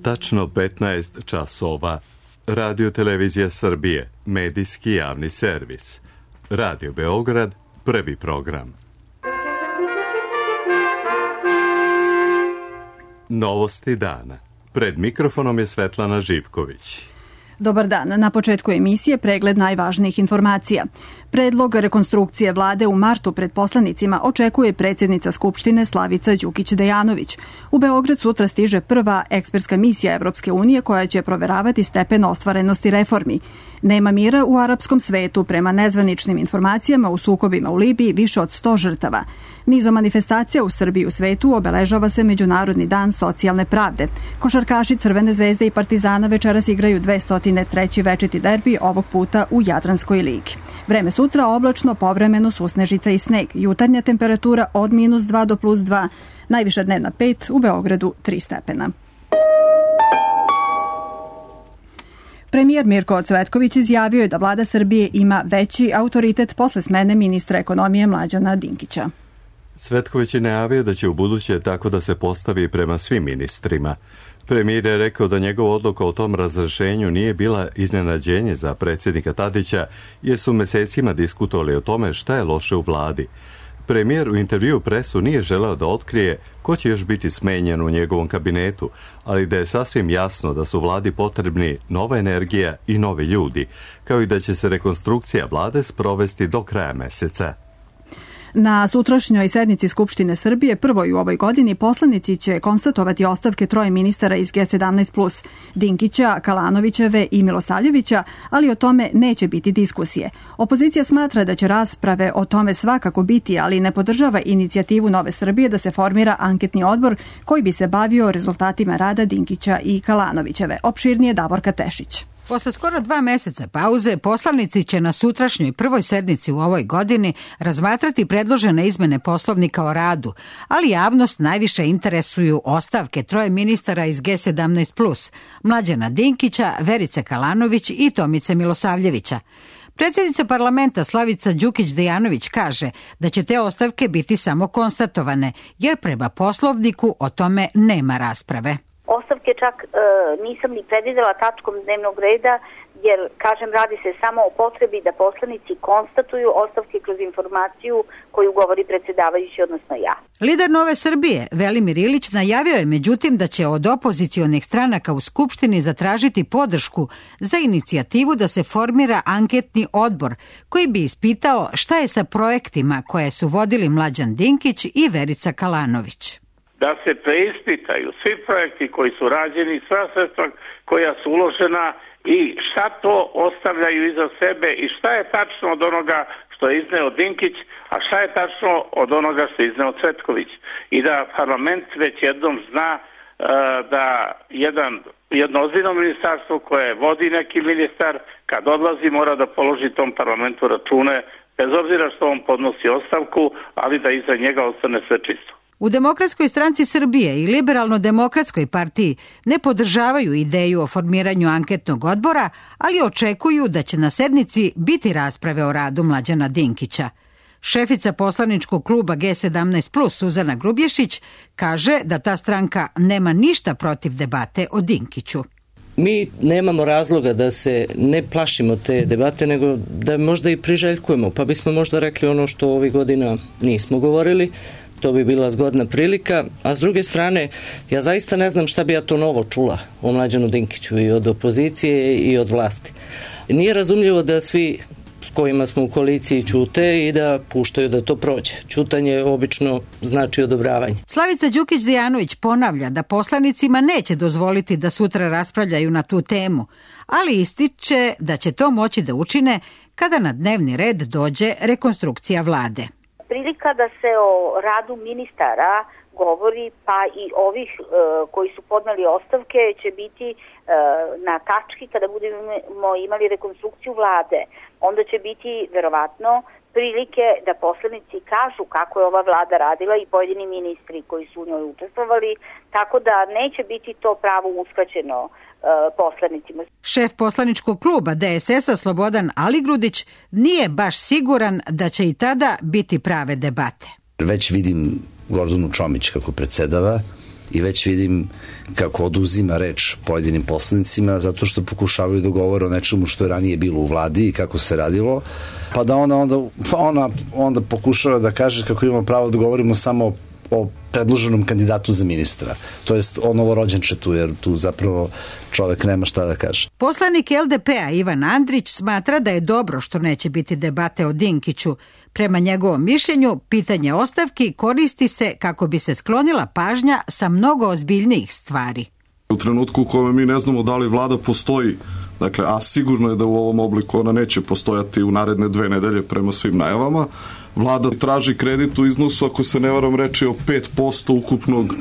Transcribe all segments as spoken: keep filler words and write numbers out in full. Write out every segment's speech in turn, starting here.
Tačno petnaest časova. Radio Televizija Srbije, medijski javni servis. Radio Beograd, prvi program. Novosti dana. Pred mikrofonom je Svetlana Živković. Dobar dan. Na početku emisije pregled najvažnijih informacija. Predlog rekonstrukcije vlade u martu pred poslanicima očekuje predsjednica Skupštine Slavica Đukić-Dejanović. U Beograd sutra stiže prva ekspertska misija Evropske unije koja će proveravati stepen ostvarenosti reformi. Nema mira u arapskom svetu. Prema nezvaničnim informacijama u sukobima u Libiji više od sto žrtava. Nizom manifestacija u Srbiji i u svetu obeležava se Međunarodni dan socijalne pravde. Košarkaši Crvene zvezde i Partizana večeras igraju dvesta treći večiti derbi, ovog puta u Jadranskoj ligi. Vreme sutra oblačno, povremeno susnežica i sneg. Jutarnja temperatura od minus dva do plus dva, najviša dnevna pet, u Beogradu tri stepena. Premijer Mirko Cvetković izjavio je da vlada Srbije ima veći autoritet posle smene ministra ekonomije Mlađana Dinkića. Cvetković je najavio da će u buduće tako da se postavi prema svim ministrima. Premijer je rekao da njegova odluka o tom razrešenju nije bila iznenađenje za predsjednika Tadića, jer su mesecima diskutovali o tome šta je loše u vladi. Premijer u intervju presu nije želeo da otkrije ko će još biti smenjen u njegovom kabinetu, ali da je sasvim jasno da su vladi potrebni nova energija i novi ljudi, kao i da će se rekonstrukcija vlade sprovesti do kraja meseca. Na sutrašnjoj sednici Skupštine Srbije, prvoj u ovoj godini, poslanici će konstatovati ostavke troje ministara iz G sedamnaest plus, Dinkića, Kalanovićeve i Milosavljevića, ali o tome neće biti diskusije. Opozicija smatra da će rasprave o tome svakako biti, ali ne podržava inicijativu Nove Srbije da se formira anketni odbor koji bi se bavio rezultatima rada Dinkića i Kalanovićeve. Opširnije Davorka Tešić. Posle skoro dva meseca pauze, poslanici će na sutrašnjoj prvoj sednici u ovoj godini razmatrati predložene izmene Poslovnika o radu, ali javnost najviše interesuju ostavke troje ministara iz G sedamnaest plus, Mlađana Dinkića, Verice Kalanović i Tomice Milosavljevića. Predsjednica parlamenta Slavica Đukić-Dejanović kaže da će te ostavke biti samo konstatovane, jer prema Poslovniku o tome nema rasprave. Ostavke čak e, nisam ni predvidela tačkom dnevnog reda, jer, kažem, radi se samo o potrebi da poslanici konstatuju ostavke kroz informaciju koju govori predsjedavajući, odnosno ja. Lider Nove Srbije, Velimir Ilić, najavio je međutim da će od opozicionih stranaka u Skupštini zatražiti podršku za inicijativu da se formira anketni odbor koji bi ispitao šta je sa projektima koje su vodili Mlađan Dinkić i Verica Kalanović. Da se preispitaju svi projekti koji su rađeni, sva sredstva koja su uložena i šta to ostavljaju iza sebe i šta je tačno od onoga što je izneo Dinkić, a šta je tačno od onoga što je izneo Cvetković. I da parlament već jednom zna uh, da jedan, jedno ozbiljno ministarstvo koje vodi neki ministar, kad odlazi mora da položi tom parlamentu račune, bez obzira što on podnosi ostavku, ali da iza njega ostane sve čisto. U Demokratskoj stranci Srbije i Liberalno-demokratskoj partiji ne podržavaju ideju o formiranju anketnog odbora, ali očekuju da će na sednici biti rasprave o radu Mlađana Dinkića. Šefica poslaničkog kluba G sedamnaest plus Suzana Grubješić kaže da ta stranka nema ništa protiv debate o Dinkiću. Mi nemamo razloga da se ne plašimo te debate, nego da možda i priželjkujemo, pa bismo možda rekli ono što ovih godina nismo govorili. To bi bila zgodna prilika, a s druge strane, ja zaista ne znam šta bi ja to novo čula o Mlađanu Dinkiću i od opozicije i od vlasti. Nije razumljivo da svi s kojima smo u koaliciji ćute i da puštaju da to prođe. Ćutanje obično znači odobravanje. Slavica Đukić-Dejanović ponavlja da poslanicima neće dozvoliti da sutra raspravljaju na tu temu, ali ističe da će to moći da učine kada na dnevni red dođe rekonstrukcija vlade. Prilika da se o radu ministara govori, pa i ovih e, koji su podneli ostavke, će biti e, na tački kada budemo imali rekonstrukciju vlade. Onda će biti verovatno prilike da poslanici kažu kako je ova vlada radila i pojedini ministri koji su u njoj učestvovali, tako da neće biti to pravo uskraćeno poslanicima. Šef poslaničkog kluba D S S-a Slobodan Aligrudić nije baš siguran da će i tada biti prave debate. Već vidim Gordanu Čomić kako predsedava i već vidim kako oduzima reč pojedinim poslanicima zato što pokušavaju da govore o nečemu što je ranije bilo u vladi i kako se radilo, pa da ona onda, pa ona onda pokušava da kaže kako imamo pravo da govorimo samo o predloženom kandidatu za ministra. To jest o novorođenčetu, jer tu zapravo čovek nema šta da kaže. Poslanik L D P-a Ivan Andrić smatra da je dobro što neće biti debate o Dinkiću. Prema njegovom mišljenju, pitanje ostavki koristi se kako bi se sklonila pažnja sa mnogo ozbiljnijih stvari. U trenutku u kojem mi ne znamo da li vlada postoji, dakle, a sigurno je da u ovom obliku ona neće postojati u naredne dve nedelje prema svim najavama, vlada traži kredit u iznosu, ako se ne varam, reči o pet posto ukupnog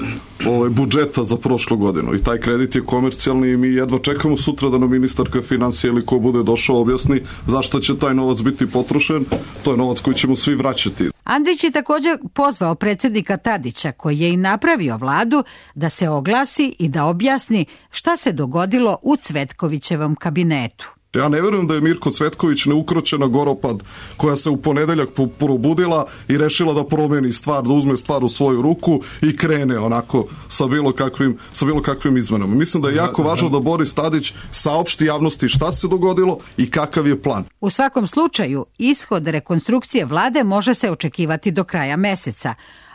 ovaj, budžeta za prošlu godinu. I taj kredit je komercijalni i mi jedva čekamo sutra da nam ministarka financija ili ko bude došao objasni zašto će taj novac biti potrošen. To je novac koji ćemo svi vraćati. Andrić je također pozvao predsjednika Tadića, koji je i napravio vladu, da se oglasi i da objasni šta se dogodilo u Cvetkovićevom kabinetu. Ja ne vjerujem da je Mirko Cvetković neukročena goropad koja se u ponedeljak probudila i rešila da promeni stvar, da uzme stvar u svoju ruku i krene onako sa bilo kakvim, sa bilo kakvim izmenama. Mislim da je jako važno da Boris Tadić saopšti javnosti šta se dogodilo i kakav je plan. U svakom slučaju, ishod rekonstrukcije vlade može se očekivati do kraja meseca,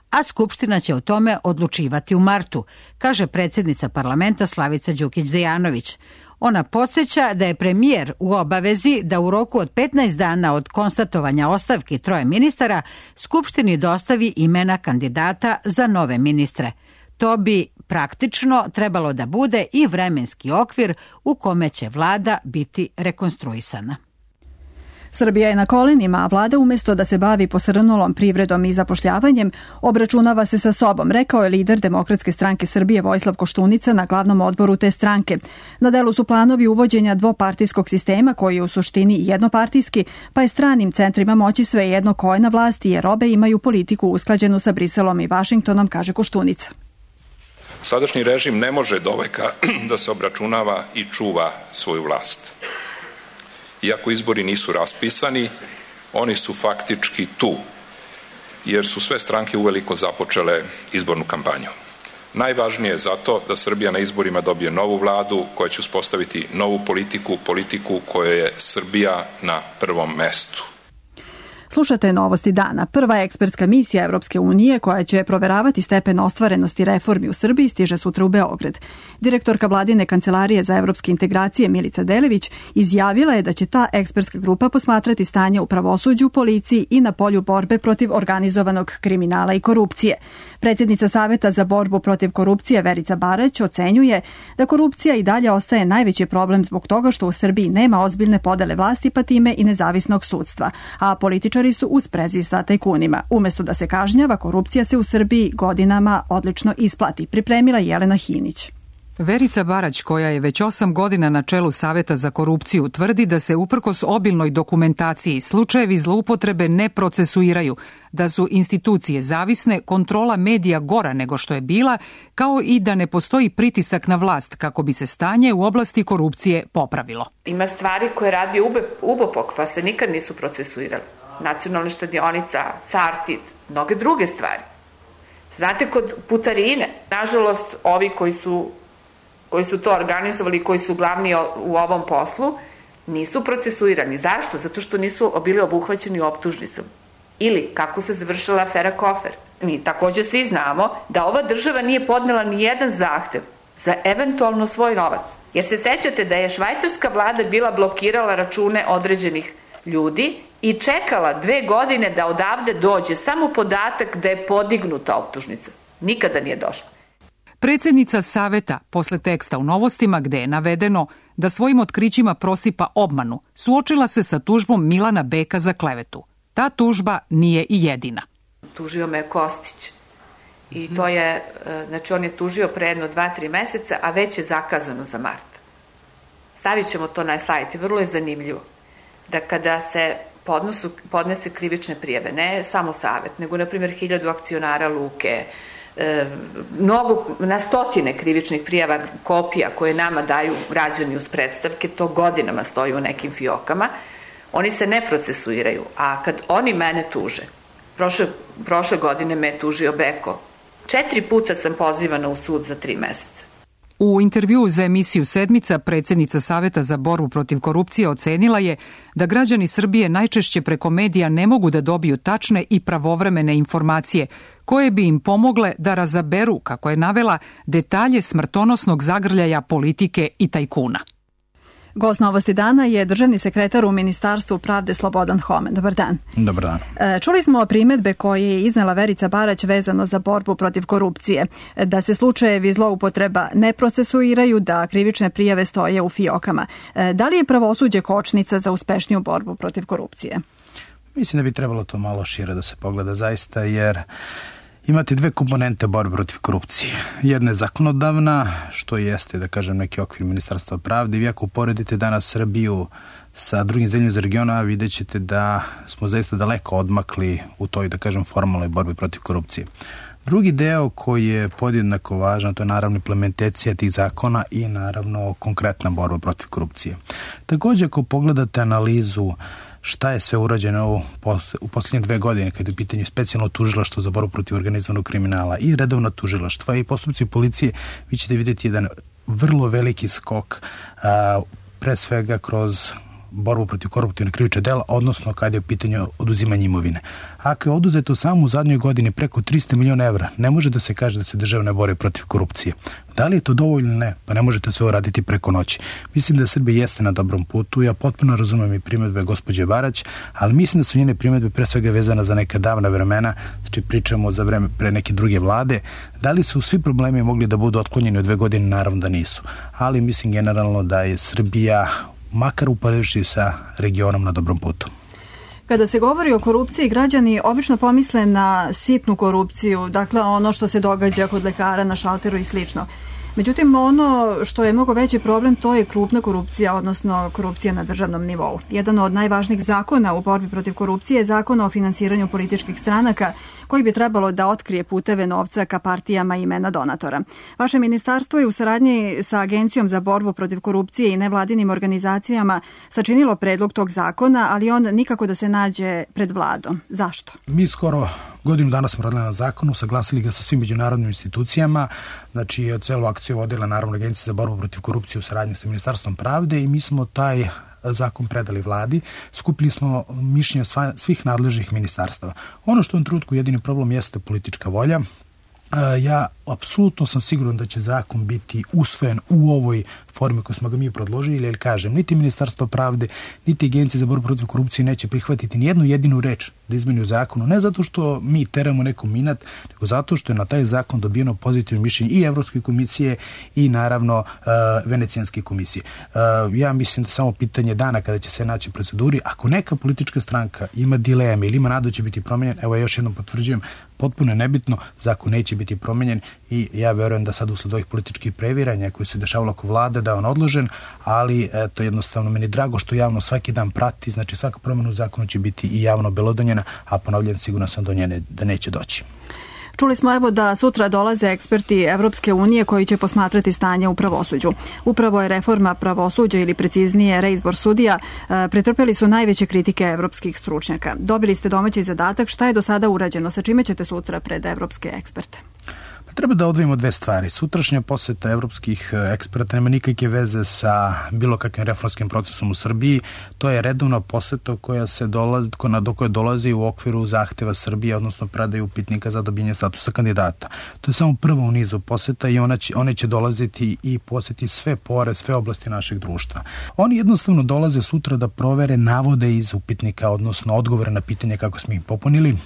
a Skupština će o tome odlučivati u martu, kaže predsjednica parlamenta Slavica Đukić-Dejanović. Ona podsjeća da je premijer u obavezi da u roku od petnaest dana od konstatovanja ostavki troje ministara Skupštini dostavi imena kandidata za nove ministre. To bi praktično trebalo da bude i vremenski okvir u kome će vlada biti rekonstruisana. Srbija je na kolenima, a vlada umjesto da se bavi posrnulom privredom i zapošljavanjem, obračunava se sa sobom, rekao je lider Demokratske stranke Srbije Vojislav Koštunica na glavnom odboru te stranke. Na delu su planovi uvođenja dvopartijskog sistema koji je u suštini jednopartijski, pa je stranim centrima moći svejedno ko je na vlasti jer obe imaju politiku usklađenu sa Briselom i Vašingtonom, kaže Koštunica. Sadašnji režim ne može doveka da se obračunava i čuva svoju vlast. Iako izbori nisu raspisani, oni su faktički tu, jer su sve stranke uveliko započele izbornu kampanju. Najvažnije je zato da Srbija na izborima dobije novu vladu koja će uspostaviti novu politiku, politiku koja je Srbija na prvom mestu. Slušate Novosti dana. Prva ekspertska misija Evropske unije koja će proveravati stepen ostvarenosti reformi u Srbiji stiže sutra u Beograd. Direktorka vladine kancelarije za evropske integracije Milica Delević izjavila je da će ta ekspertska grupa posmatrati stanje u pravosuđu, policiji i na polju borbe protiv organizovanog kriminala i korupcije. Predsjednica Saveta za borbu protiv korupcije Verica Barać ocenjuje da korupcija i dalje ostaje najveći problem zbog toga što u Srbiji nema ozbiljne podele vlasti pa time i nezavisnog sudstva, a političari su u sprezi sa tajkunima. Umjesto da se kažnjava, korupcija se u Srbiji godinama odlično isplati, pripremila Jelena Hinić. Verica Barać, koja je već osam godina na čelu Saveta za korupciju, tvrdi da se uprkos obilnoj dokumentaciji slučajevi zloupotrebe ne procesuiraju, da su institucije zavisne, kontrola medija gora nego što je bila, kao i da ne postoji pritisak na vlast kako bi se stanje u oblasti korupcije popravilo. Ima stvari koje radi Ubopok pa se nikad nisu procesuirali. Nacionalna štedionica, Sartid, mnoge druge stvari. Znate, kod putarine, nažalost, ovi koji su koji su to organizovali, koji su glavni u ovom poslu, nisu procesuirani. Zašto? Zato što nisu bili obuhvaćeni optužnicom. Ili kako se završila afera Kofer. Mi također svi znamo da ova država nije podnela ni jedan zahtev za eventualno svoj novac. Jer se sećate da je švajcarska vlada bila blokirala račune određenih ljudi i čekala dve godine da odavde dođe samo podatak da je podignuta optužnica. Nikada nije došla. Predsjednica Saveta, posle teksta u Novostima gde je navedeno da svojim otkrićima prosipa obmanu, suočila se sa tužbom Milana Beka za klevetu. Ta tužba nije i jedina. Tužio me Kostić. I to je, znači on je tužio pre jedno dva, tri meseca, a već je zakazano za mart. Stavit ćemo to na sajt i vrlo je zanimljivo da kada se podnosu, podnese krivične prijave, ne samo Savet, nego na primjer hiljadu akcionara Luke, E, mnogo, na stotine krivičnih prijava kopija koje nama daju građani uz predstavke, to godinama stoji u nekim fiokama, oni se ne procesuiraju, a kad oni mene tuže, prošle, prošle godine me je tužio Beko Četiri puta sam pozivana u sud za tri meseca. U intervjuu za emisiju Sedmica predsjednica Saveta za borbu protiv korupcije ocenila je da građani Srbije najčešće preko medija ne mogu da dobiju tačne i pravovremene informacije koje bi im pomogle da razaberu, kako je navela, detalje smrtonosnog zagrljaja politike i tajkuna. Gost Novosti dana je državni sekretar u Ministarstvu pravde Slobodan Homen. Dobar dan. Dobar dan. Čuli smo primedbe koje je iznela Verica Barać vezano za borbu protiv korupcije, da se slučajevi zloupotreba ne procesuiraju, da krivične prijave stoje u fijokama. Da li je pravosuđe kočnica za uspešniju borbu protiv korupcije? Mislim da bi trebalo to malo šire da se pogleda zaista, jer imate dve komponente borbe protiv korupcije. Jedna je zakonodavna, što jeste, da kažem, neki okvir Ministarstva pravde. Vi ako uporedite danas Srbiju sa drugim zemljama iz regiona, vidjet ćete da smo zaista daleko odmakli u toj, da kažem, formalnoj borbi protiv korupcije. Drugi deo koji je podjednako važan, to je naravno implementacija tih zakona i naravno konkretna borba protiv korupcije. Također, ako pogledate analizu šta je sve urađeno u posljednje dve godine kada je u pitanju specijalno tužilaštvo za borbu protiv organizovanog kriminala i redovno tužilaštva i postupci policije, vi ćete vidjeti jedan vrlo veliki skok, a, pre svega kroz borbu protiv koruptivnih krivičnih dela, odnosno kada je u pitanju oduzimanje imovine. Ako je oduzeto samo u zadnjoj godini preko tristo miliona evra, ne može da se kaže da se država ne bori protiv korupcije. Da li je to dovoljno ili ne? Pa ne možete sve uraditi preko noći. Mislim da Srbija jeste na dobrom putu. Ja potpuno razumem i primedbe gospođe Barać, ali mislim da su njene primedbe pre svega vezana za neka davna vremena, znači pričamo za vreme pre neke druge vlade. Da li su svi problemi mogli da budu otklonjeni u dve godine? Naravno da nisu. Ali mislim generalno da je Srbija, makar upoređujući sa regionom, na dobrom putu. Kada se govori o korupciji, građani obično pomisle na sitnu korupciju, dakle ono što se događa kod lekara na šalteru i slično. Međutim, ono što je mnogo veći problem, to je krupna korupcija, odnosno korupcija na državnom nivou. Jedan od najvažnijih zakona u borbi protiv korupcije je zakon o finansiranju političkih stranaka, koji bi trebalo da otkrije puteve novca ka partijama i imena donatora. Vaše ministarstvo je u saradnji sa Agencijom za borbu protiv korupcije i nevladinim organizacijama sačinilo predlog tog zakona, ali on nikako da se nađe pred vladom. Zašto? Mi skoro godinu dana smo radili na zakonu, saglasili ga sa svim međunarodnim institucijama, znači celu akciju vodila naravno Agencija za borbu protiv korupcije u saradnji sa Ministarstvom pravde i mi smo taj zakon predali vladi, skupili smo mišljenja svih nadležnih ministarstava. Ono što u ovom trenutku jedini problem jeste politička volja. Ja apsolutno sam siguran da će zakon biti usvojen u ovoj formi koju smo ga mi predložili, jer kažem, niti Ministarstvo pravde, niti Agencija za borbu protiv korupcije neće prihvatiti ni jednu jedinu reč da izmeni u zakonu, ne zato što mi teramo nekom inat, nego zato što je na taj zakon dobijeno pozitivno mišljenje i Evropske komisije i naravno uh, Venecijanske komisije. Uh, ja mislim da samo pitanje dana kada će se naći u proceduri, ako neka politička stranka ima dileme ili ima nadu će biti promenjen, evo ja još jednom potvrđujem, potpuno je nebitno, zakon neće biti promenjen i ja verujem da sad usled ovih političkih previranja koji se dešavalo oko vlade da je on odložen, ali eto jednostavno meni drago što javno svaki dan prati, znači svaka promjena u zakonu će biti i javno belodonjena, a ponavljam sigurno sam do njene da neće doći. Čuli smo evo da sutra dolaze eksperti Evropske unije koji će posmatrati stanje u pravosuđu. Upravo je reforma pravosuđa ili preciznije reizbor sudija pretrpeli su najveće kritike evropskih stručnjaka. Dobili ste domaći zadatak, šta je do sada urađeno, sa čime ćete sutra pred evropske eksperte? Treba da odvojimo dve stvari. Sutrašnja poseta evropskih eksperta nema nikakve veze sa bilo kakvim reformskim procesom u Srbiji. To je redovna poseta koja se dolazi, do koje dolazi u okviru zahteva Srbije, odnosno predaju upitnika za dobijanje statusa kandidata. To je samo prva u nizu poseta i ona će, one će dolaziti i poseti sve pore, sve oblasti našeg društva. Oni jednostavno dolaze sutra da provere navode iz upitnika, odnosno odgovore na pitanje kako smo ih popunili,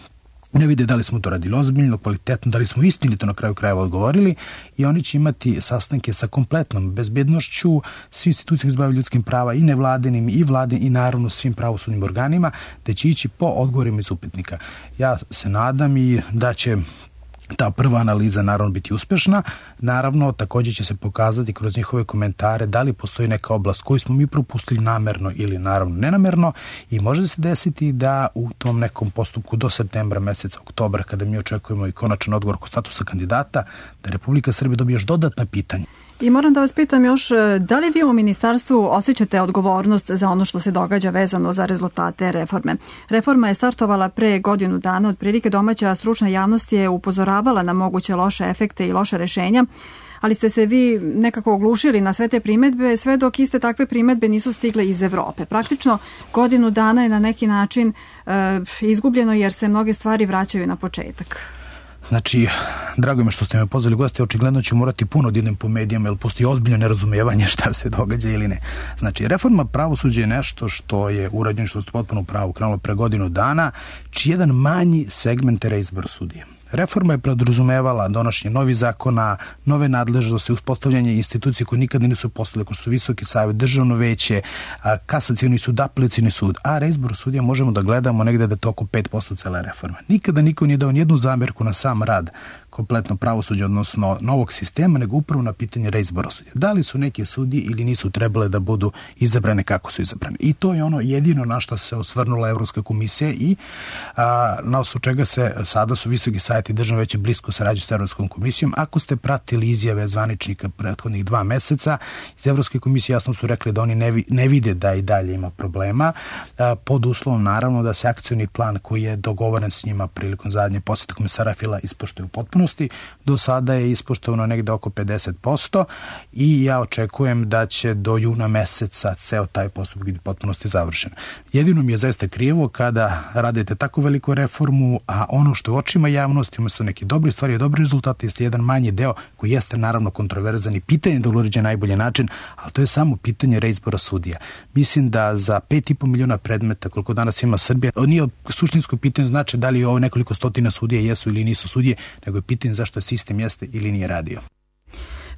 ne vide da li smo to radili ozbiljno, kvalitetno, da li smo istinito na kraju krajeva odgovorili i oni će imati sastanke sa kompletnom bezbednošću, svi institucije koji se bave ljudskim prava i nevladinim i vladin i naravno svim pravosudnim organima, da će ići po odgovorima iz upitnika. Ja se nadam i da će ta prva analiza naravno biti uspešna. Naravno, također će se pokazati kroz njihove komentare da li postoji neka oblast koju smo mi propustili namerno ili naravno nenamerno i može se desiti da u tom nekom postupku do septembra meseca, oktobra, kada mi očekujemo i konačan odgovor oko statusa kandidata, da Republika Srbija dobije još dodatna pitanja. I moram da vas pitam još, da li vi u ministarstvu osjećate odgovornost za ono što se događa vezano za rezultate reforme? Reforma je startovala pre godinu dana, otprilike domaća stručna javnost je upozoravala na moguće loše efekte i loše rešenja, ali ste se vi nekako oglušili na sve te primetbe, sve dok iste takve primetbe nisu stigle iz Evrope. Praktično godinu dana je na neki način e, izgubljeno jer se mnoge stvari vraćaju na početak. Znači, drago mi što ste me pozvali gosti, očigledno ću morati puno da idem po medijama, jer postoji ozbiljno nerazumijevanje šta se događa ili ne. Znači, reforma pravosuđa je nešto što je urađeno, što ste potpuno pravo krenulo pre godinu dana, čiji jedan manji segment je reizbor sudije. Reforma je podrazumevala donošenje novih zakona, nove nadležnosti, uspostavljanje institucije koje nikada nisu postojale, kao su Visoki savet, Državno veće, Kasacioni sud, Apelacioni sud, a reizbor sudija možemo da gledamo negde da je to oko pet posto cele reforme. Nikada niko nije dao nijednu zamjerku na sam rad kompletno pravosuđa, odnosno novog sistema, nego upravo na pitanje reizbora sudija. Da li su neke sudije ili nisu trebale da budu izabrane kako su izabrane. I to je ono jedino na što se osvrnula Evropska komisija i a, na osnovu čega se sada su Visoki savet i Državno veće blisko sarađuju sa Evropskom komisijom. Ako ste pratili izjave zvaničnika prethodnih dva meseca, iz Evropske komisije jasno su rekli da oni ne, vi, ne vide da i dalje ima problema, a, pod uslovom naravno da se akcioni plan koji je dogovoren s njima prilikom zadnje posete komisara Fila ispoštuje u potpunosti. Do sada je ispoštovano negde oko pedeset posto i ja očekujem da će do juna meseca ceo taj postupak biti potpunosti završen. Jedino mi je zaista krivo kada radite tako veliku reformu, a ono što u očima javnosti umjesto neki dobri stvari i dobri rezultati jeste jedan manji deo koji jeste naravno kontroverzan i pitanje da uređe najbolji način, ali to je samo pitanje reizbora sudija. Mislim da za pet i po miliona predmeta koliko danas ima Srbija, nije suštinsko pitanje znači da li ovo nekoliko stotina sudija jesu ili nisu sudije, nego je pitanje zašto sistem jeste ili nije radio.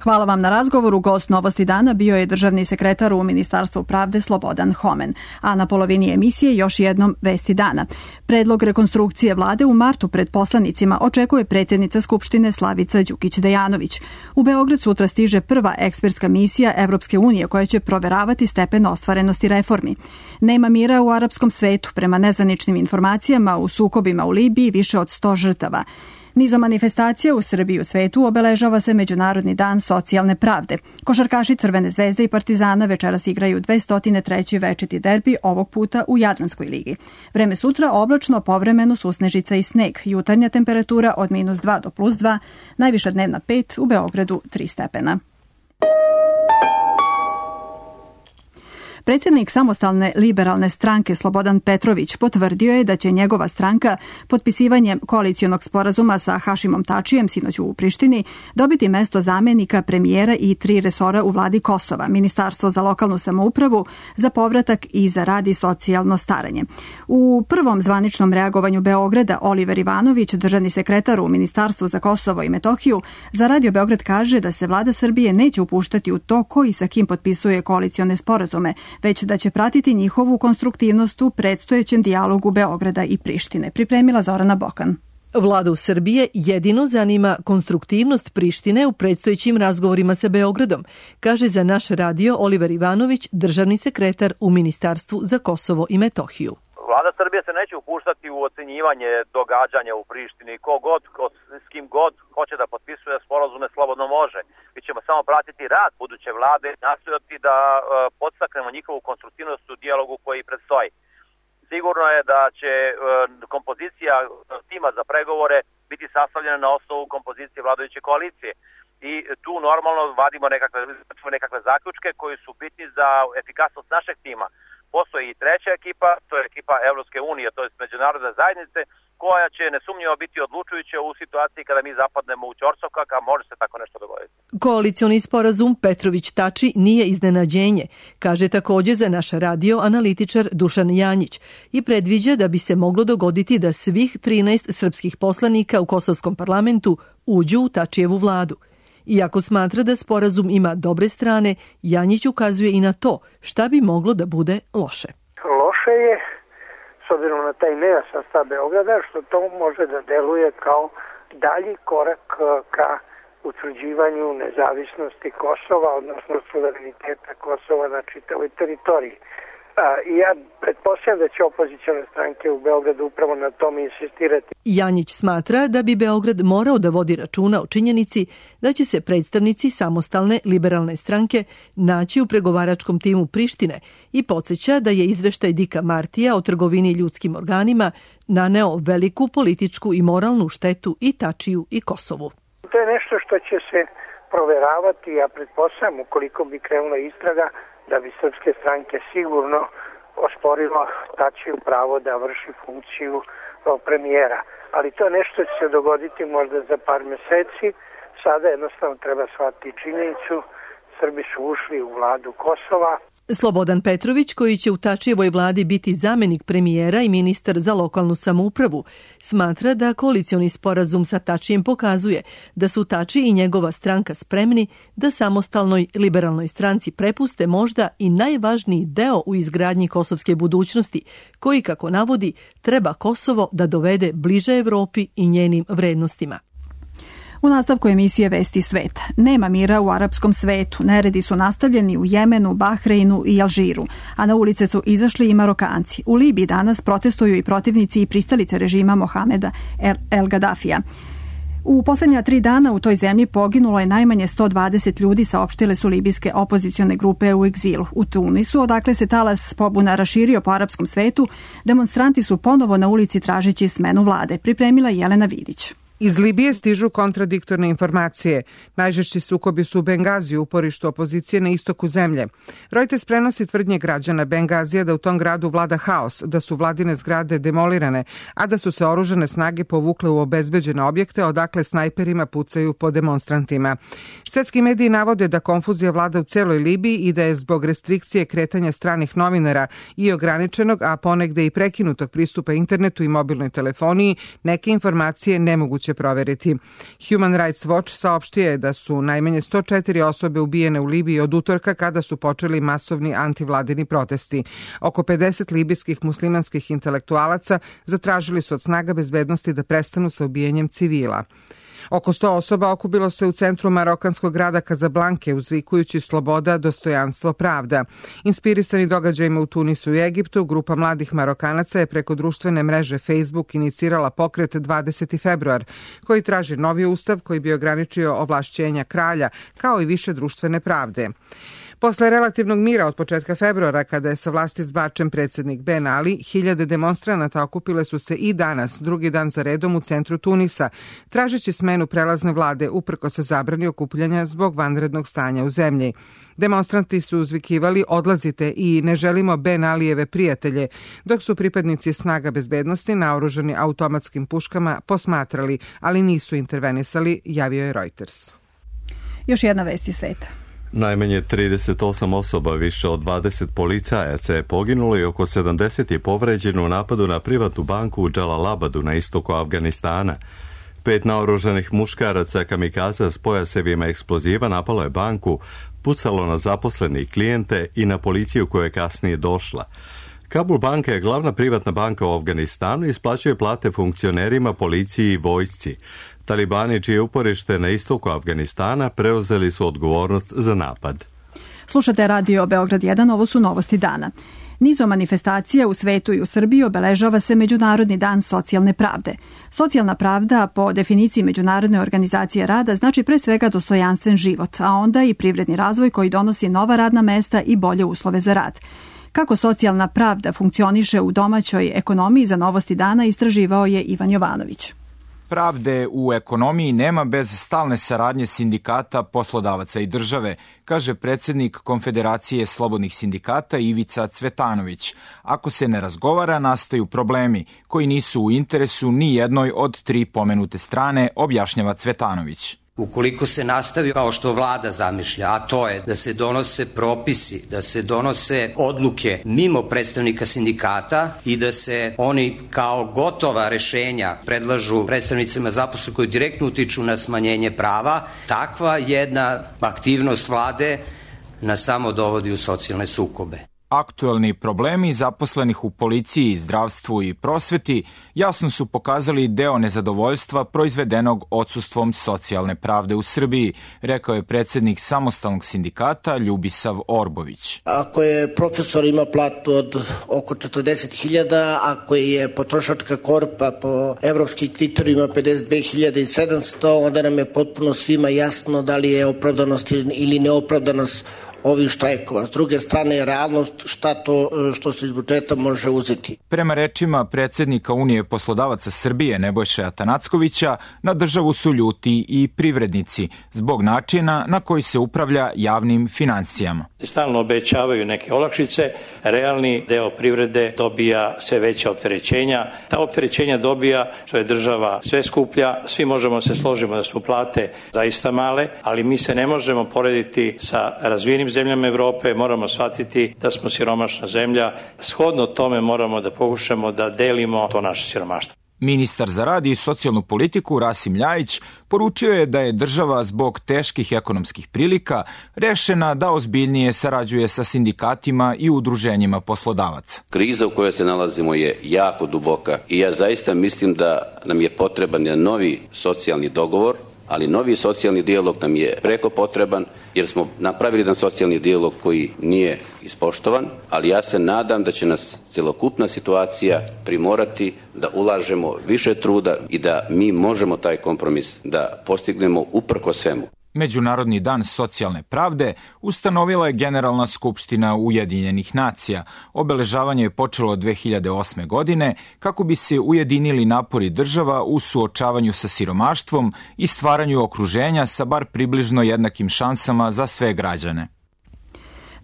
Hvala vam na razgovoru. Gost Novosti dana bio je državni sekretar u Ministarstvu pravde Slobodan Homen. A na polovini emisije još jednom Vesti dana. Predlog rekonstrukcije vlade u martu pred poslanicima očekuje predsjednica Skupštine Slavica Đukić Dejanović. U Beograd sutra stiže prva ekspertska misija Evropske unije koja će proveravati stepen ostvarenosti reformi. Nema mira u arapskom svetu. Prema nezvaničnim informacijama u sukobima u Libiji više od sto žrtava. Nizom manifestacija u Srbiji i u svetu obeležava se Međunarodni dan socijalne pravde. Košarkaši Crvene zvezde i Partizana večeras igraju dvesta treći večiti derbi, ovog puta u Jadranskoj ligi. Vreme sutra oblačno, povremeno susnežica i sneg. Jutarnja temperatura od minus dva do plus dva, najviša dnevna pet, u Beogradu tri stepena. Predsjednik samostalne liberalne stranke Slobodan Petrović potvrdio je da će njegova stranka potpisivanjem koalicionog sporazuma sa Hašimom Tačijem sinoć u Prištini dobiti mesto zamenika premijera i tri resora u vladi Kosova, Ministarstvo za lokalnu samoupravu, za povratak i za rad i socijalno staranje. U prvom zvaničnom reagovanju Beograda Oliver Ivanović, državni sekretar u Ministarstvu za Kosovo i Metohiju, za Radio Beograd kaže da se vlada Srbije neće upuštati u to ko i sa kim potpisuje koalicione sporazume, već da će pratiti njihovu konstruktivnost u predstojećem dijalogu Beograda i Prištine. Pripremila Zorana Bokan. Vladu Srbije jedino zanima konstruktivnost Prištine u predstojećim razgovorima sa Beogradom, kaže za naš radio Oliver Ivanović, državni sekretar u Ministarstvu za Kosovo i Metohiju. Vlada Srbije se neće upuštati u ocenjivanje događanja u Prištini. Ko god, ko, s kim god hoće da potpisuje sporazume, slobodno može. Mi ćemo samo pratiti rad buduće vlade i nastojati da uh, podstaknemo njihovu konstruktivnost u dijalogu koji predstoji. Sigurno je da će uh, kompozicija tima za pregovore biti sastavljena na osnovu kompozicije vladajuće koalicije. I tu normalno vadimo nekakve, nekakve zaključke koji su bitni za efikasnost našeg tima. Postoji i treća ekipa, to je ekipa Evropske unije, to je međunarodne zajednice, koja će nesumnjivo biti odlučujuća u situaciji kada mi zapadnemo u ćorsokak, a može se tako nešto dogoditi. Koalicioni sporazum Petrović-Tači nije iznenađenje, kaže također za naš radio analitičar Dušan Janjić i predviđa da bi se moglo dogoditi da svih trinaest srpskih poslanika u kosovskom parlamentu uđu u Tačijevu vladu. Iako smatra da sporazum ima dobre strane, Janjić ukazuje i na to šta bi moglo da bude loše. Loše je, s obzirom na taj nejasan stav Beograda, što to može da deluje kao dalji korak ka utvrđivanju nezavisnosti Kosova, odnosno suvereniteta Kosova na čitavoj teritoriji. I ja pretpostavljam da će opozicione stranke u Beogradu upravo na tome insistirati. Janjić smatra da bi Beograd morao da vodi računa o činjenici da će se predstavnici samostalne liberalne stranke naći u pregovaračkom timu Prištine i podsjeća da je izveštaj Dika Martija o trgovini ljudskim organima naneo veliku političku i moralnu štetu i Tačiju i Kosovu. To je nešto što će se proveravati, ja pretpostavljam, ukoliko bi krenula istraga, da bi srpske stranke sigurno osporilo Tačiju pravo da vrši funkciju premijera. Ali to je nešto će se dogoditi možda za par meseci. Sada jednostavno treba shvatiti činjenicu. Srbi su ušli u vladu Kosova. Slobodan Petrović, koji će u Tačijevoj vladi biti zamenik premijera i ministar za lokalnu samoupravu, smatra da koalicioni sporazum sa Tačijem pokazuje da su Tači i njegova stranka spremni da samostalnoj liberalnoj stranci prepuste možda i najvažniji deo u izgradnji kosovske budućnosti, koji, kako navodi, treba Kosovo da dovede bliže Evropi i njenim vrednostima. U nastavku emisije Vesti sveta. Nema mira u arapskom svetu. Neredi su nastavljeni u Jemenu, Bahreinu i Alžiru, a na ulice su izašli i Marokanci. U Libiji danas protestuju i protivnici i pristalice režima Mohameda El Gaddafija. U posljednja tri dana u toj zemlji poginulo je najmanje sto dvadeset ljudi, saopštile su libijske opozicione grupe u egzilu. U Tunisu, odakle se talas pobuna raširio po arapskom svetu, demonstranti su ponovo na ulici tražeći smenu vlade. Pripremila Jelena Vidić. Iz Libije stižu kontradiktorne informacije. Najžešći sukobi su u Bengaziju, uporištu opozicije na istoku zemlje. Reuters prenosi tvrdnje građana Bengazija da u tom gradu vlada haos, da su vladine zgrade demolirane, a da su se oružane snage povukle u obezbeđene objekte, odakle snajperima pucaju po demonstrantima. Svetski mediji navode da konfuzija vlada u celoj Libiji i da je zbog restrikcije kretanja stranih novinara i ograničenog, a ponegde i prekinutog pristupa internetu i mobilnoj telefoniji, neke informacije nemoguće proveriti. Human Rights Watch saopštio je da su najmanje sto četiri osobe ubijene u Libiji od utorka kada su počeli masovni antivladini protesti. Oko pedeset libijskih muslimanskih intelektualaca zatražili su od snaga bezbednosti da prestanu sa ubijanjem civila. Oko sto osoba okupilo se u centru marokanskog grada Kazablanke uzvikujući sloboda, dostojanstvo, pravda. Inspirisani događajima u Tunisu i Egiptu, grupa mladih Marokanaca je preko društvene mreže Facebook inicirala pokret dvadeseti februar, koji traži novi ustav koji bi ograničio ovlašćenja kralja, kao i više društvene pravde. Posle relativnog mira od početka februara, kada je sa vlasti zbačen predsjednik Ben Ali, hiljade demonstranata okupile su se i danas, drugi dan za redom u centru Tunisa, tražeći smenu prelazne vlade uprkos zabrani okupljanja zbog vanrednog stanja u zemlji. Demonstranti su uzvikivali odlazite i ne želimo Ben Alijeve prijatelje, dok su pripadnici snaga bezbednosti naoružani automatskim puškama posmatrali, ali nisu intervenisali, javio je Reuters. Još jedna vest iz sveta. Najmanje trideset osam osoba, više od dvadeset policajaca je poginulo i oko sedamdeset je povređeno u napadu na privatnu banku u Džalalabadu na istoku Afganistana. Pet naoružanih muškaraca kamikaza s pojasevima eksploziva napalo je banku, pucalo na zaposlene i klijente i na policiju koja je kasnije došla. Kabul banka je glavna privatna banka u Afganistanu i isplaćuje plate funkcionerima, policiji i vojsci. Talibani, čije uporište na istoku Afganistana, preuzeli su odgovornost za napad. Slušate radio Beograd jedan, ovo su novosti dana. Nizom manifestacija u svetu i u Srbiji obeležava se Međunarodni dan socijalne pravde. Socijalna pravda, po definiciji Međunarodne organizacije rada, znači pre svega dostojanstven život, a onda i privredni razvoj koji donosi nova radna mesta i bolje uslove za rad. Kako socijalna pravda funkcioniše u domaćoj ekonomiji, za novosti dana istraživao je Ivan Jovanović. Pravde u ekonomiji nema bez stalne saradnje sindikata, poslodavaca i države, kaže predsjednik Konfederacije slobodnih sindikata Ivica Cvetanović. Ako se ne razgovara, nastaju problemi koji nisu u interesu ni jednoj od tri pomenute strane, objašnjava Cvetanović. Ukoliko se nastavi kao što vlada zamišlja, a to je da se donose propisi, da se donose odluke mimo predstavnika sindikata i da se oni kao gotova rešenja predlažu predstavnicima zaposlenih koji direktno utiču na smanjenje prava, takva jedna aktivnost vlade nas samo dovodi u socijalne sukobe. Aktuelni problemi zaposlenih u policiji, zdravstvu i prosveti jasno su pokazali deo nezadovoljstva proizvedenog odsustvom socijalne pravde u Srbiji, rekao je predsednik samostalnog sindikata Ljubisav Orbović. Ako je profesor ima platu od oko četrdeset hiljada, ako je potrošačka korpa po evropskim kriterijima pedeset dve hiljade sedamsto, onda nam je potpuno svima jasno da li je opravdanost ili neopravdanost ovih štrajkova. S druge strane je realnost šta to što se iz budžeta može uzeti. Prema rečima predsednika Unije poslodavaca Srbije Nebojše Atanackovića, na državu su ljuti i privrednici zbog načina na koji se upravlja javnim finansijama. Stalno obećavaju neke olakšice, realni deo privrede dobija sve veća opterećenja. Ta opterećenja dobija što je država sve skuplja, svi možemo se složiti da su plate zaista male, ali mi se ne možemo porediti sa razvijenim zemljama Evrope, moramo shvatiti da smo siromašna zemlja, shodno tome moramo da pokušamo da delimo to naše siromaštvo. Ministar za rad i socijalnu politiku Rasim Ljajić poručio je da je država zbog teških ekonomskih prilika rešena da ozbiljnije sarađuje sa sindikatima i udruženjima poslodavaca. Kriza u kojoj se nalazimo je jako duboka i ja zaista mislim da nam je potreban jedan novi socijalni dogovor, ali novi socijalni dijalog nam je preko potreban jer smo napravili jedan socijalni dijalog koji nije ispoštovan, ali ja se nadam da će nas celokupna situacija primorati da ulažemo više truda i da mi možemo taj kompromis da postignemo uprkos svemu. Međunarodni dan socijalne pravde ustanovila je Generalna skupština Ujedinjenih nacija. Obeležavanje je počelo dve hiljade osme. godine kako bi se ujedinili napori država u suočavanju sa siromaštvom i stvaranju okruženja sa bar približno jednakim šansama za sve građane.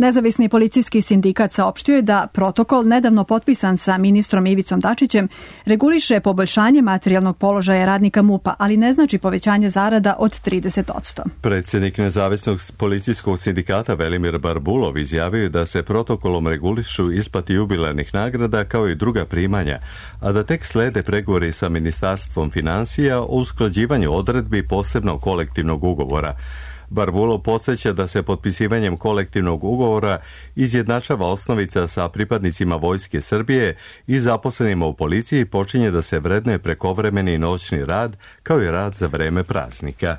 Nezavisni policijski sindikat saopštio je da protokol nedavno potpisan sa ministrom Ivicom Dačićem reguliše poboljšanje materijalnog položaja radnika MUP-a, ali ne znači povećanje zarada od trideset posto. Predsjednik Nezavisnog policijskog sindikata Velimir Barbulov izjavio je da se protokolom regulišu isplati jubilarnih nagrada kao i druga primanja, a da tek slede pregovori sa Ministarstvom financija o usklađivanju odredbi posebnog kolektivnog ugovora. Barbulov podsjeća da se potpisivanjem kolektivnog ugovora izjednačava osnovica sa pripadnicima Vojske Srbije i zaposlenima u policiji počinje da se vrednuje prekovremeni i noćni rad kao i rad za vreme praznika.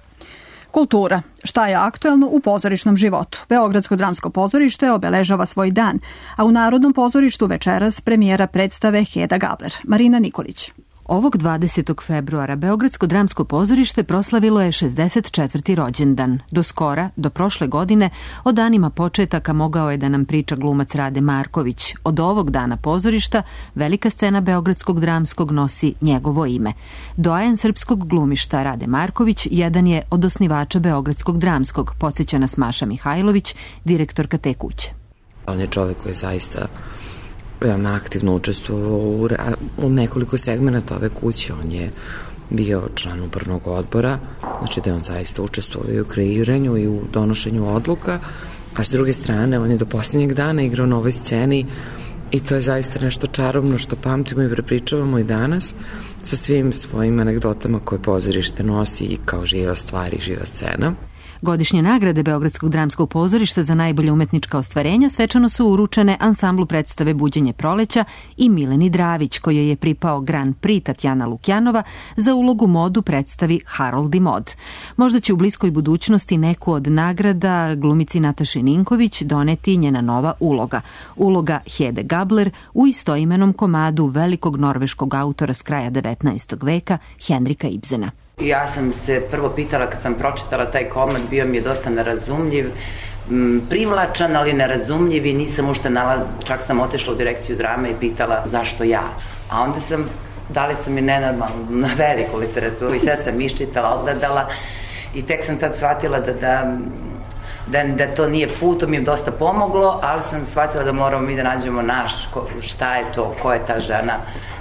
Kultura. Šta je aktuelno u pozorišnom životu? Beogradsko dramsko pozorište obeležava svoj dan, a u Narodnom pozorištu večeras premijera predstave Heda Gabler. Marina Nikolić. Ovog dvadesetog februara Beogradsko dramsko pozorište proslavilo je šezdeset četvrti rođendan. Do skora, do prošle godine, o danima početaka mogao je da nam priča glumac Rade Marković. Od ovog dana pozorišta velika scena Beogradskog dramskog nosi njegovo ime. Doajen srpskog glumišta Rade Marković jedan je od osnivača Beogradskog dramskog, podsjeća nas Maša Mihajlović, direktorka te kuće. On je čovek koji je zaista veoma aktivno učestvovao u, u nekoliko segmenta ove kuće. On je bio član upravnog odbora, znači da je on zaista učestvovao i u kreiranju i u donošenju odluka, a s druge strane on je do posljednjeg dana igrao na ovoj sceni i to je zaista nešto čarobno što pamtimo i prepričavamo i danas sa svim svojim anegdotama koje pozorište nosi i kao živa stvar i živa scena. Godišnje nagrade Beogradskog dramskog pozorišta za najbolje umetnička ostvarenja svečano su uručene ansamblu predstave Buđenje proleća i Mileni Dravić, kojoj je pripao Grand Prix Tatjana Lukjanova za ulogu modu predstavi Harold i mod. Možda će u bliskoj budućnosti neku od nagrada glumici Nataši Ninković doneti njena nova uloga. Uloga Hede Gabler u istoimenom komadu velikog norveškog autora s kraja devetnaestog veka Henrika Ibsena. Ja sam se prvo pitala kad sam pročitala taj komad, bio mi je dosta nerazumljiv, privlačan, ali nerazumljiv i nisam ušte nala, čak sam otešla u direkciju drame i pitala zašto ja. A onda sam, dali su mi nenormalno na veliku literaturu i sve sam iščitala, odgledala i tek sam tad shvatila da, da, da, da to nije put, to mi je dosta pomoglo, ali sam shvatila da moramo mi da nađemo naš, ko, šta je to, ko je ta žena,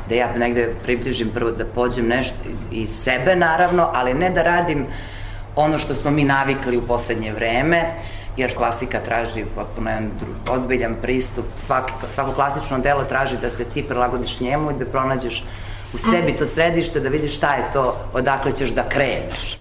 da ja negde približim prvo da pođem nešto iz sebe naravno, ali ne da radim ono što smo mi navikli u poslednje vreme, jer klasika traži potpuno jedan ozbiljan pristup, svaki, svako klasično delo traži da se ti prilagodiš njemu i da pronađeš u sebi to središte, da vidiš šta je to, odakle ćeš da kreneš.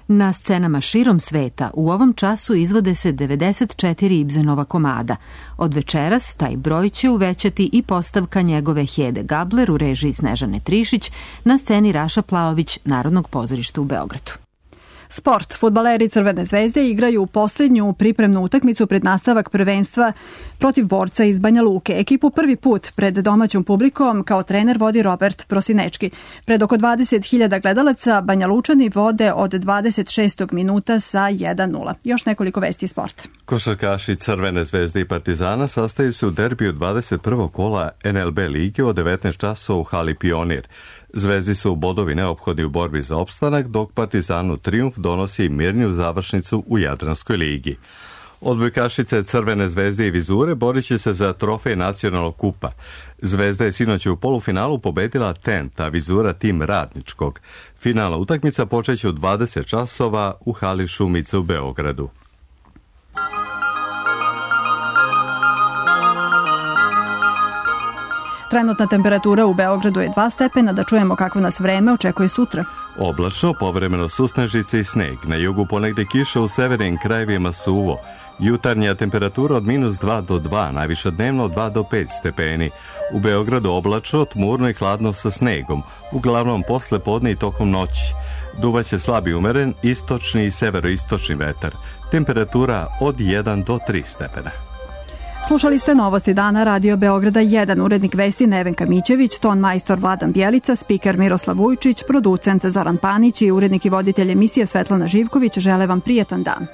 Na scenama širom sveta u ovom času izvode se devedeset četiri Ibsenova komada. Od večeras taj broj će uvećati i postavka njegove Hede Gabler u režiji Snežane Trišić na sceni Raša Plaović Narodnog pozorišta u Beogradu. Sport. Fudbaleri Crvene zvezde igraju posljednju pripremnu utakmicu pred nastavak prvenstva protiv Borca iz Banja Luke. Ekipu prvi put pred domaćom publikom kao trener vodi Robert Prosinečki. Pred oko dvadeset hiljada gledalaca Banja Lučani vode od dvadeset šestog minuta sa jedan nula. Još nekoliko vesti iz sporta. Košarkaši Crvene zvezde i Partizana sastaju se u derbiju dvadeset prvog kola en el be lige od devetnaest časova u hali Pionir. Zvezdi su bodovi neophodni u borbi za opstanak, dok Partizanu trijumf donosi mirniju završnicu u Jadranskoj ligi. Odbojkašice Crvene zvezde i Vizure borit će se za trofej nacionalnog kupa. Zvezda je sinoć u polufinalu pobedila Tent, a Vizura tim Radničkog. Finalna utakmica počeće u dvadeset časova u hali Šumice u Beogradu. Trenutna temperatura u Beogradu je dva stepena, da čujemo kako nas vreme očekuje sutra. Oblačno, povremeno susnežice i sneg. Na jugu ponegde kiša, u severnim krajevima suvo. Jutarnja temperatura od minus dva do dva, najviša dnevno od dva do pet stepeni. U Beogradu oblačno, tmurno i hladno sa snegom, uglavnom posle podne i tokom noći. Duvaće slabi umeren, istočni i severoistočni vetar. Temperatura od jedan do tri stepena. Slušali ste Novosti dana Radio Beograda jedan, urednik vesti Nevenka Mićević, ton majstor Vladan Bjelica, spiker Miroslav Vujčić, producent Zoran Panić i urednik i voditelj emisije Svetlana Živković. Žele vam prijetan dan.